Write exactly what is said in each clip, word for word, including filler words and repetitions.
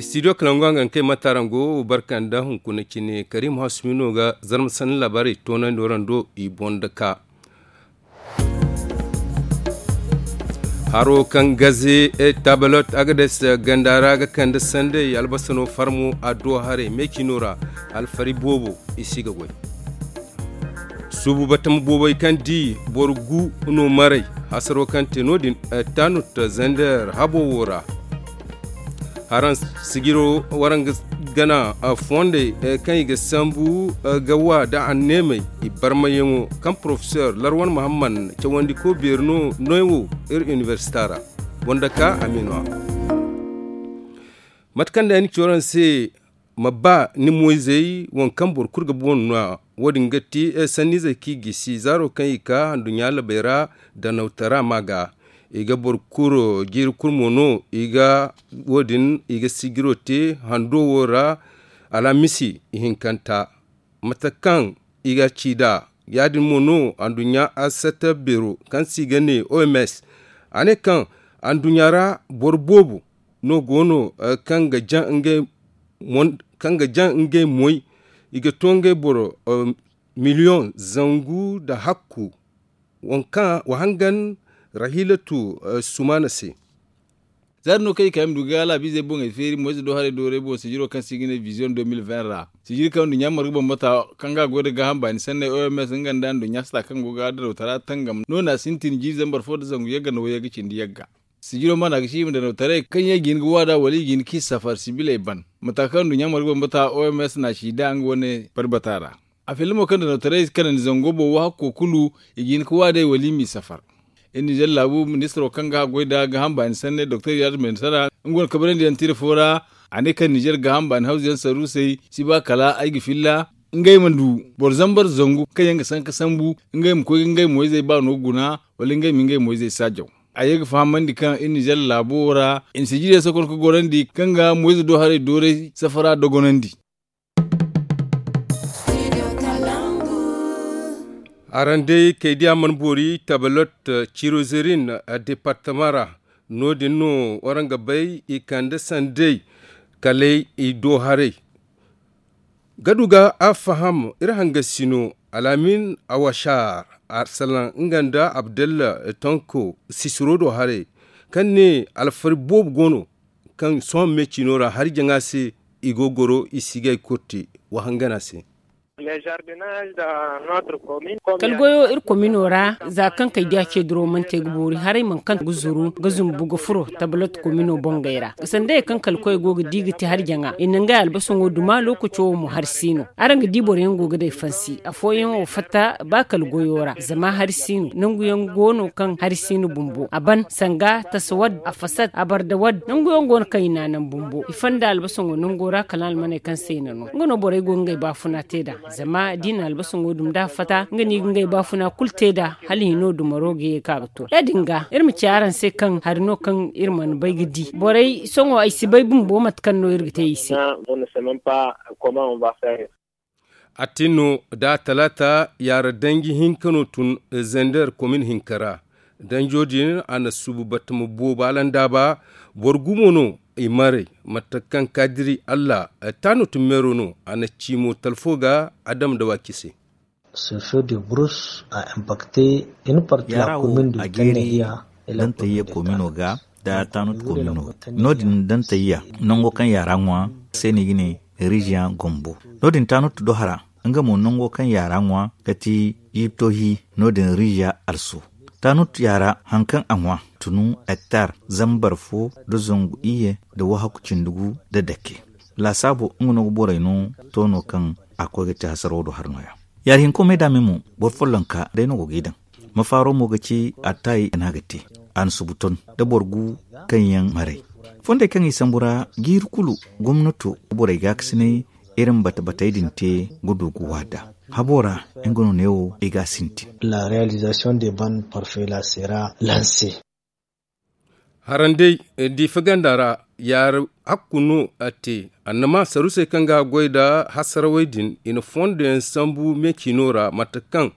Studio kalangu a ga kay matarango barka nda hunkuna cine karim hasumino ga zarma sanni labaarey toonandi warando i boŋ da ka. Haro kaŋ gaze tabalot agades ganda ra ga kande sanday albasano farmo a do haray meecino ra. Alfari boobo i si ga goy. Suubu batama boobey kaŋ di boro gu no maray hasaro kaŋ te no- din tanut zender habo wo ra. Haraŋ sijiro waraŋ ga gana fondey kaŋ i ga sambu ga wa nda anneemey i barmayaŋo kaŋ porofesor larwan muhammad cawandiko beeri no noy wo iri inibersita ra. Boŋ da ka amino a mate kaŋ day ni ci waraŋ se ma ba ni moyzey waŋ kaŋ boro kulu ga boŋ no a wo- din ga ti sanniizey kaŋ i gisi zaaro kaŋ i ka handuɲɲa labey ra danawtara ma ga i ga boro kulu jiiri kulu mo no i ga wo- din i ga sijiro te hando wo ra. Alhamisi ihinkanta mate kaŋ i ga ci nd'a ya- din mo no handuɲɲa asata beero kaŋ se i ga ne oms a ne kaŋ handuɲɲa ra boro boobo no go no kaŋ ga jaŋ ngey moy i ga to ngey boro miliyoŋ zangu nda hakku wa hangan rahilatu sumaana se. Za din no kaŋ i ka yaŋ ma du ga laabizey boŋey feeri moyze do haray dooray boŋ sijiro kaŋ se i ga ne viziyoŋ de mil ven ra sijiri kaŋ nduɲɲa marga bambata kaŋ ga a goy nda gaaham baani sanney oms nga nda nduɲɲa sata kaŋ go ga darawtara tangam no- na sintin jiiri zambar fo nda zangu yagga nda wayagga cindi yagga. Sijiro mana ga ci i ma danawtaray kaŋ yaŋ i ga hin ga waada wala i ga hin ga i safar sibiley ban mata kaŋ nduɲɲa marga bambata oms na a ci nd'a nga wane barbata ra. A filla mo kaŋ danawtaray kanandi zango boŋ wo hakko kulu i ga hin ga waadey wala i m'i safar. Iri nizer laabu ministiro kaŋ ga a goy nda gaaham baani sanney doktor yaad ministara nga wane kabarandiyaŋ tira fo ra. A ne kaŋ nizer gaaham baani hawzuyaŋ sarruusey si ba kala ay ga filla ngey ma du boro zambar zangu kaŋ yaŋ ga sanka sambu ngey ma koy ga ngey moyzey baano guna wala ngey ma ngey moyzey saajaw. A ye ga fahamandi kaŋ iri nizer laabo wo ra i na sijiriyaŋ sokon ga gorandi kaŋ ga moyze do haray dooray safara dogonandi. Araŋ day kay diya mana boori tabalot cirozerin departama ra. No- din no waraŋ ga bay i kande sanday kalay i do haray. Ga du ga a faham iri hangasino alaamin awashaar, salaŋ nga nda abdalla tonko sisiro do haray kaŋ ne alfari boobo go no kaŋ sohõ me ciino ra hari jaŋa se i go goro i si ga ay korte wa hangan a se. Kala goyo iri komino ra za kaŋ kay diya ce duro mana te ga boori haray mana kaŋ ga zuru ga zumbu ga furo tabalot komino bongey ra sanda ye kaŋ kala koy go ga di ga te hari jaŋa i na ngey albasaŋo duma lookaco wo mo hari si no. Araŋ ga di boro yaŋ go ga day fansi afooyaŋ wo fatta ba kala goyo ra zama hari si no nangu yaŋ go no kaŋ hari si no bumbo a ban sanga tasa wadde a fasat a barda wadde nangu yaŋ go no kaŋ i na a naŋ bumbo i fanda albasaŋo nango ra kala almaney kaŋ se i na no nga no borey go ga ngey baafuna te nd'a. Zama da i na albasaŋo dum da a fata nga no i ga ngey baafuna kulu te nd'a hala hino dumaro ga ye ka ga to ya- din ga iri ma ci araŋ se kaŋ hari no kaŋ iri mana bay ga di borey sohõ ay si bay bumbo mate kaŋ no iri ga te i se. A tin no da talaata yaara danji hinka no tun zender komin hinka ra. Danjo din a na suubu batama boobo alandaaba boro gumo no i maray mate kaŋ kaadiri allah taano tun meero no a na ci mo talfo ga adama da waaki se. Sefe de burus a impakte in parti la komin du tannahiya. Dantayya komino ga da tanut komino ga no- din dantayya nango kaŋ yaara ŋwa se no i ga ne rijiya gombo no- din tanut do hara nga mo nango kaŋ yaara ŋwa ga ti jibtohi no- din rijiya also. Tanut yaara haŋ kaŋ a ŋwa tunu hektar zambar fo nda zangu iyye nda wahaku cindi gu nda dake. Laasaabo nga no ga borey no toono kaŋ a koy ga te hasaraw do hari nooya. Yaari hinko me da me mo boro follonka day no go g'i daŋ. Mafaaro mo ga ci attaayi no a ga te a na subu ton nda boro gu kaŋ yaŋ maray. Fondey kaŋ i sambu ra jiiri kulu gomnato borey gaakasinay iri ma bata batey din te ga du ga waada habo ra. Nga no neewo i ga a sintin. La realizasiyoŋ de ban parfait la sera lanse. Harandey diifa ganda ra yaari hakku no a te annama sarusey kaŋ ga a goy nda hasarawey din i na fondo yaŋ sambu me ciino ra mate kaŋ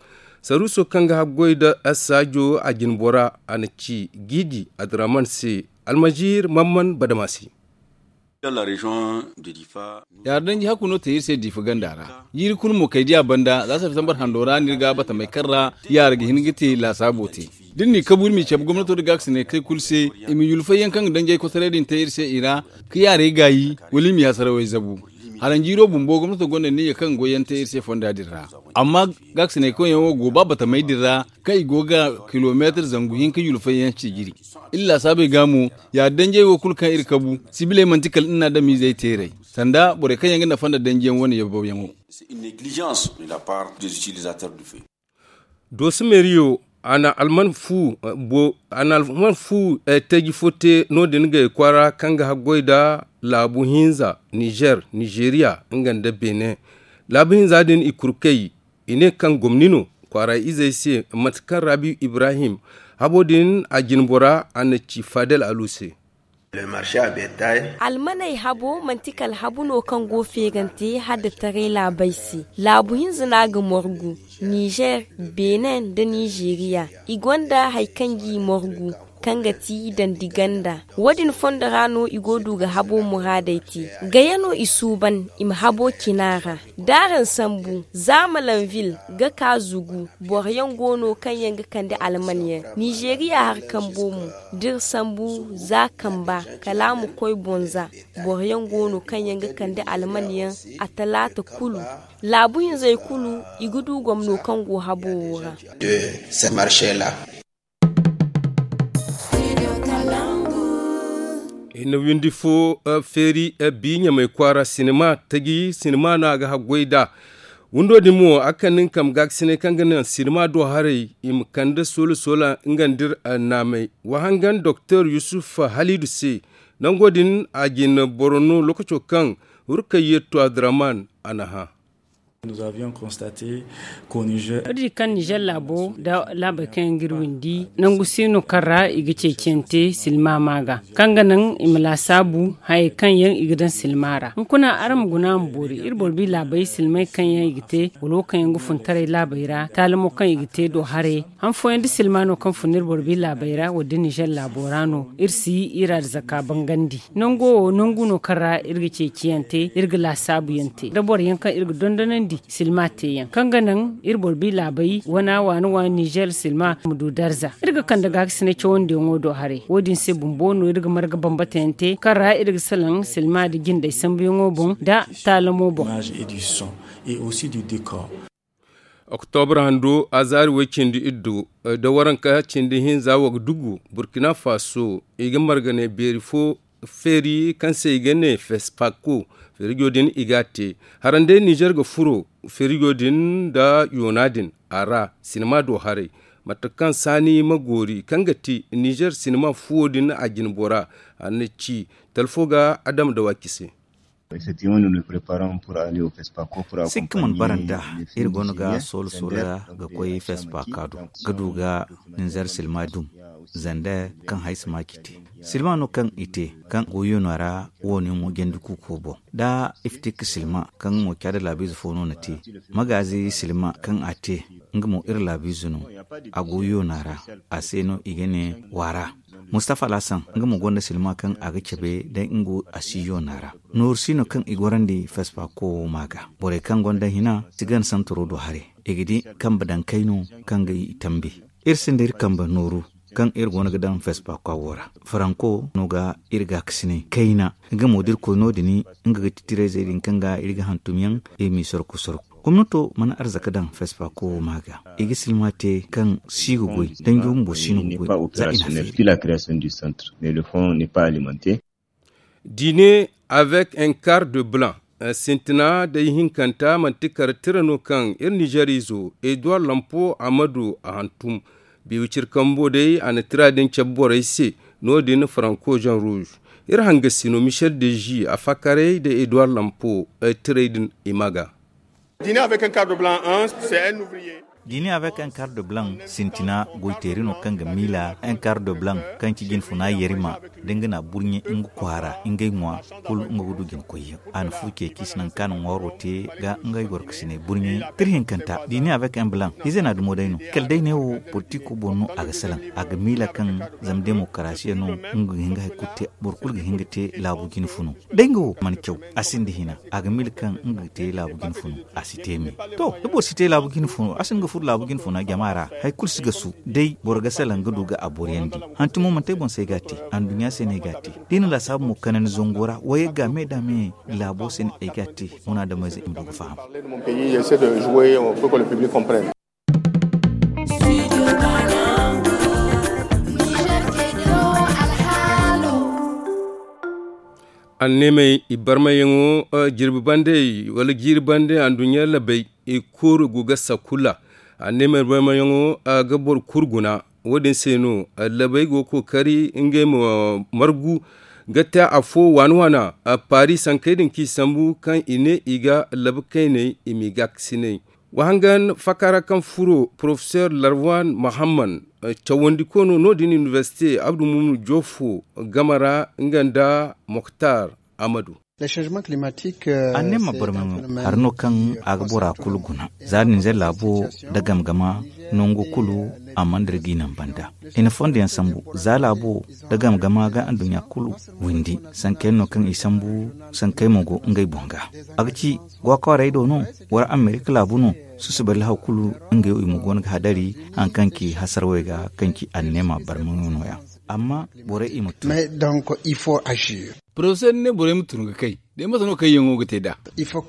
Saruuso kaŋ ga haggoy nda saajo a jine bora a na ci giidi adiraman se. Almaziir mamman badama se. Yaara danji hakku no te iri se diifa ganda ra. Jiiri kulu mo kay diya banda za septembar hando ra no iri ga batamey kaŋ ra yaara ga hin ga te laasaabo te. Da iri n'i kabu iri m'i cabe gomnato nda gaakasinay kay kulu se i ma yulfay yaŋ kaŋ ga danjey kotaray din te iri se i ra, ka yaarey gaayi wala i ma yaasara way zabu. Haranjiiro bumbo gomnato gonda niiya kaŋ ga goy yaŋ te iri se fonda din ra. Amma gaakasinay kaŋ yaŋ wo go ba batamey din ra, kaŋ i go ga kilomeetir zangu hinka yulfay yaŋ ci jiri. Iri laasaabey ga mo, ya danjey wo kulu kaŋ iri kabu sibiley manti kala iri na adamizey teeray, sanda borey kaŋ yaŋ ga nafa nda danji yaŋ wane yabbaw yaŋo. Dooso meeriyo a na alman fu teeji fo te no- din gay kwaara kaŋ ga haggoy nda laabu hinza nizer nizeriya nga nda benin. Laabu hinza din i kurkey i ne kaŋ gomni no. Kwaara izey se mate kaŋ rabiyu ibrahim habo din a jine bora a na ci fadel alu se. Almaney habo manti kala habu no kaŋ go feerante hadda taray laabey se. Laabu hinza no a ga morgu, nizer, benin nda nizeriya. I gonda hari kaŋ g'i morgu, kaŋ ga ti dandi ganda. Wo- din fondo ra no i go du ga habo muraadey te. Gaya no i suuban i ma habo cina ra. D'araŋ sambu zaamalanvil ga ka zugu. Boro yaŋ go no kaŋ yaŋ ga kande alman yaŋ. Nizeriya hari kambo mo, d'iri sambu za kamba kala a ma koy bonza. Boro yaŋ go no kaŋ yaŋ ga kande alman yaŋ. A talaata kulu laabu hinzey kulu i ga du gomno kaŋ go habo wo ra. Hinne windi fo feeri bi ɲamay kwaara sinima taji sinima no a ga haggoy nd'a. Windo din mo a ga kande nga kambe gaakasinay kaŋ ga naŋ sinima do haray i ma kande soola soola nga nda iri naamay. Wa hangan doktor yusuf haliidu se. Nango din a jine boro no lookaco kaŋ hurkayye to abdurrahman a na hã. Iri di kaŋ nizer laabo nda laabey kaŋ yaŋ ga iri windi nangu se no kaŋ ra i ga ceeciyaŋ te silma ma ga kaŋ ga naŋ i ma laasaabu hayey kaŋ yaŋ i ga daŋ silma ra. Hunkuna araŋ ma guna ma boori iri boro bi laabey silmay kaŋ yaŋ i ga te wala wo kaŋ yaŋ ga funtaray laabey ra taalamo kaŋ i ga te do haray. Han fooyaŋ da silma no kaŋ fun iri boro bi laabey ra wala da nizer laabo ra no iri si iri arzaka bangandi. Nango wo nangu no kaŋ ra iri ga ceeciyaŋ te iri ga laasaabuyaŋ te da boro yaŋ kaŋ iri ga dondonandi silma teeyaŋ kaŋ ga naŋ iri boro bi laabey wana waani waani nizer silma ma du darza. Iri ga kande gaakasinay cawandiyaŋo do haray wo- din se bumbo no iri ga marga bambatayaŋ te kaŋ ra iri ga salaŋ silma nda jindey sambuyaŋo boŋ nda taalamo boŋ. Oktobre hando azaari way cindi iddu da waranka cindi hinza wagdugu burkina faso i ga marga ne beeri fo feeri kaŋ se i ga ne fespako. Feerijo din i ga a te haranday nizer ga furo feerijo din nda yoona din a ra sinima do haray. Mate kaŋ saani ma goori kaŋ ga ti nizer sinima fuwo din a jine bora a na ci talfo ga adama da waaki se. Sikka mana bara nda iri goono ga soolo soolo ga koy fespa kaadu ga du ga ninzar silma dum zanda kaŋ hay si ma ci te silma no kaŋ i te kaŋ goyo no ra wo ni mo jandi kuuko boŋ da iftik silma kaŋ mo caada laabiize fo no na te magaazi silma kaŋ a te nga mo iri laabiize no a goyo no ra a se no i ga ne waara. Mustafa lasan nga mo gonda silma kaŋ a ga cabe day nga asiyo no ra nooru si no kaŋ i gorandi fespa ko wo ma ga borey kaŋ gonda hina si gana santaro do haray i ga di kambe daŋ kayno kaŋ ga i tambi. Iri sinda iri kambe nooru kaŋ iri goono ga daŋ fespa ko wo ra faranko no ga iri gaakasinay kayna nga mo da iri koy no- din nga ga ti tirayzey din kaŋ ga iri ga hantum yaŋ iri m'i sorko sorko. Gomnato mana arzaka daŋ fespa ko wo ma ga i ga silma te kaŋ si ga goy danjo bumbo si no ga goy za i na feeri. Dîner avec un quart de blanc sintina day hinkanta manti kar tira no kaŋ iri nizer izo eduwar lampo amadu a hantum. Biibi ciri kambo day a na tira din cabe borey se no- din faranko jean rouge. Iri hangasi no michel de ji a fakaray da eduwar lampo tiray din i ma ga. Dîner avec un quart de blanc. Dini avec un quart de blanc sintina goyteeri no kaŋ ga miila un quart de blanc kaŋ ci jinfuna yarima da nga na burɲe nga kwaara ngey ŋwa. Kulu nga ga du jinkoyyaŋ a na fu ceeci si nangu kaŋ a na ŋwaaro te ga ngey gorkasiney burɲe. Tira hinkanta dini avec un blanc hize na dumo day no kala day ne wo politiko boŋ no a ga salaŋ a ga miila kaŋ zama demokarasiya no. Nga ga hin ga hari kulu te boro kulu ga hin ga te laabu jinfuno. Day nga wo mana caw a sinda hina a ga miila kaŋ nga ga te laabu jinfuno. A si te me to da boro si te laabu jinfuno a sinda ga furo laabu jinfuna jama ra. Hari kulu si gasu day boro ga salaŋ ga du ga a boriyandi. Hantumo manti ay boŋ se ay ga a te anduɲɲa se no ay ga a te da i na laasaabu mo kanandi zango ra wayey ga me da me laabo se no ay ga a te. Munaadamize i ma du ga faham. Anneemey i barmayyaŋo jirbi bande wala jiiri bande anduɲɲa labey i kooru go ga sakula. Anneemey barmayyaŋo ga boro kulu guna. Wo- din se no labey go ga kookari ngey ma margu ga te afo waana waana. Paris sankey din kaŋ i sambu kaŋ i ne i ga labe kayney i m'i gaakasinay. Wa hangan fakaara kaŋ furo porofesor larwan mahamman cawandiko no no- din inibersite abdu mumnu jofo game ra nga nda moktar amadu. Anneema barmayaŋo hari no kaŋ a ga bora kulu guna za ninzer laabo nda game game nango kulu a mana dira ga i naŋ banda. I na fondo yaŋ sambu za laabo nda game game ga anduɲɲa kulu windi sanka yaŋ no kaŋ i sambu. Sankey mo go ngey boŋ ga a ga ci gwa kwaarey do no wala amerika laabu no. Susubay lahaw kulu ngey wo i mo go no ga hadari hari kaŋ ci hasarawey ga kaŋ ci anneema barmayaŋo no- ya. Amma borey i ma tun. Porofesor ni ne borey ma tun ga kay day mate no kayyaŋo ga te nd'a? I ma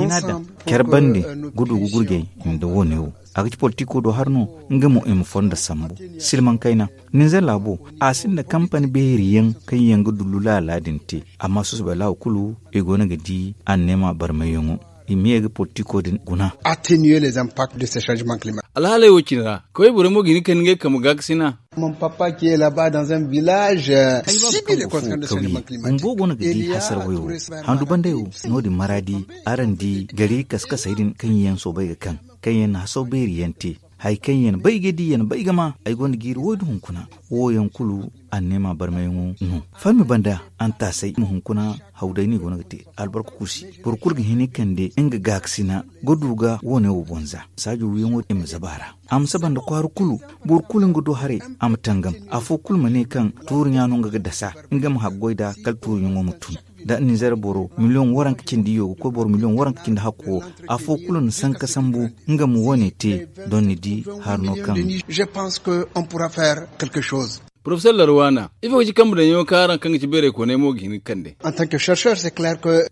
hina daŋ care bande ga du ga gurjay nda wo- ne wo a ga ci politiko do hari no. Nga mo i ma fondo sambu silmaŋ kayna ninzer laabo a sinda kampani beeri yaŋ kaŋ yaŋ ga dullu laala din te. Amma susubay lahaw kulu i go no ga di anneema barmayyaŋo i ma ye ga politiko din guna. Attenuer les impacts de ces changements climatiques. Alhaaley wo- cine ra kaway borey mo ga hin ga kande ngey kambe gaakasina. Mon papa qui est là bas dans un village. Bumbo go no ga di hasara wayo handu banday wo. No- din maraadi araŋ di gari kaskasey din kaŋ yaŋ soobay ga kaŋ kaŋ yaŋ na hasaw beeri yaŋ te. Hari kaŋ yaŋ bay ga di yaŋ bay ga ma ay gonda jiiri wo- din hunkuna. Wo- yaŋ kulu anneema barmayaŋo no farmi banda. Antaasay ma hunkuna haw day no i go no ga te albarka kuusi. Boro kulu ga hin ga kande nga gaakasina ga du ga wo- ne wo boŋ za saajo wiyaŋo i ma zaba a ra. A ma saba nda kwaara kulu boro kulu nga do haray a ma tangam. Afo kulu ma ne kaŋ tuuri ɲa no nga ga dasa nga ma haggoy nd'a kala tuuri ɲaŋo ma tun. Da ninzer boro miliyoŋ waranka cindi iyo ga koy boro miliyoŋ waranka cindi hakko wo. Afo kulu na sanka sambu nga ma wo- ne te. Doŋ ni di hari no kaŋ. Porofesor larwaana ifo ga ci kambe daŋyaŋo kaŋ araŋ kaŋ ga ci beeraykooney mo ga hin ga kande?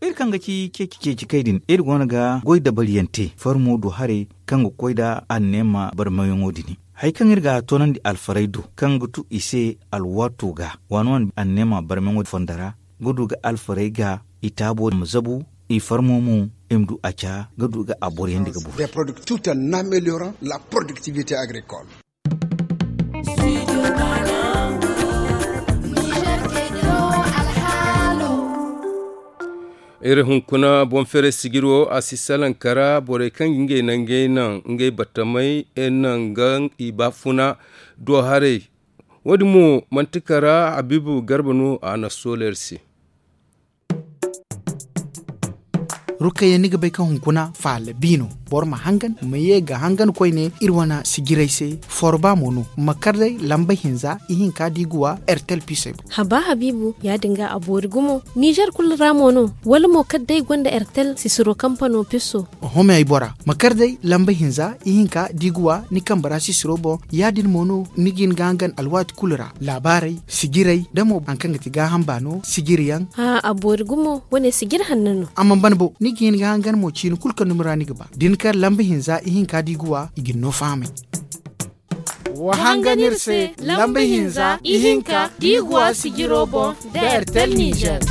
Iri kaŋ ga ci ceeci ceeci kay din iri go no ga goy dabariyaŋ te farmo do haray kaŋ ga koy nd'a anneema barmayaŋo din. Hari kaŋ iri ga a toonandi alfarey do kaŋ ga tu i se alwaato ga waani waani anneema barmayaŋo fondo ra ga du ga alfarey ga i taabo ma zabu i farmo mo i ma du a ca ga du ga a boriyandi ga boro. Iri hunkuna boŋ feeray sijiro a si salaŋ kara borey kaŋ ga ngey nangey naŋ ngey battamey naŋ ga i baafuna do haray. Wo- din mo manti kara habiibu garba no a na soola iri se. Rukayya ni ga bay kaŋ hunkuna faala bi no. Boro ma hangan ma ye ga hangan koyne iri wane sijirey se. Forba mo no ma kar day lamba hinza ihinka da i ga wa ertel pisey boŋ. Haba habiibu ya- din ga a boori gumo nizer kulu ra mo no? Wala mo kala day gonda ertel sisiro kampano piso. Oho me ay bora ma kar day lamba hinza ihinka da i ga wa ni kambe ra sisiro boŋ. Ya- din mo no ni ga hin ga hangan alwaati kulu ra laabaarey sijirey da mo hari kaŋ ga ti gaaham baano sijiriyaŋ. A boori gumo wane sijiri hanno no. A mana ban bo ni ga hin ga hangan mo ciini kulu kaŋ dumi ra ni ga ba da ni kar lamba hinza ihinka da i ga wa i ga ni no fahamay. Wa hangan iri se lamba hinza ihinka da i ga wa sijiro boŋ da ertel nizer.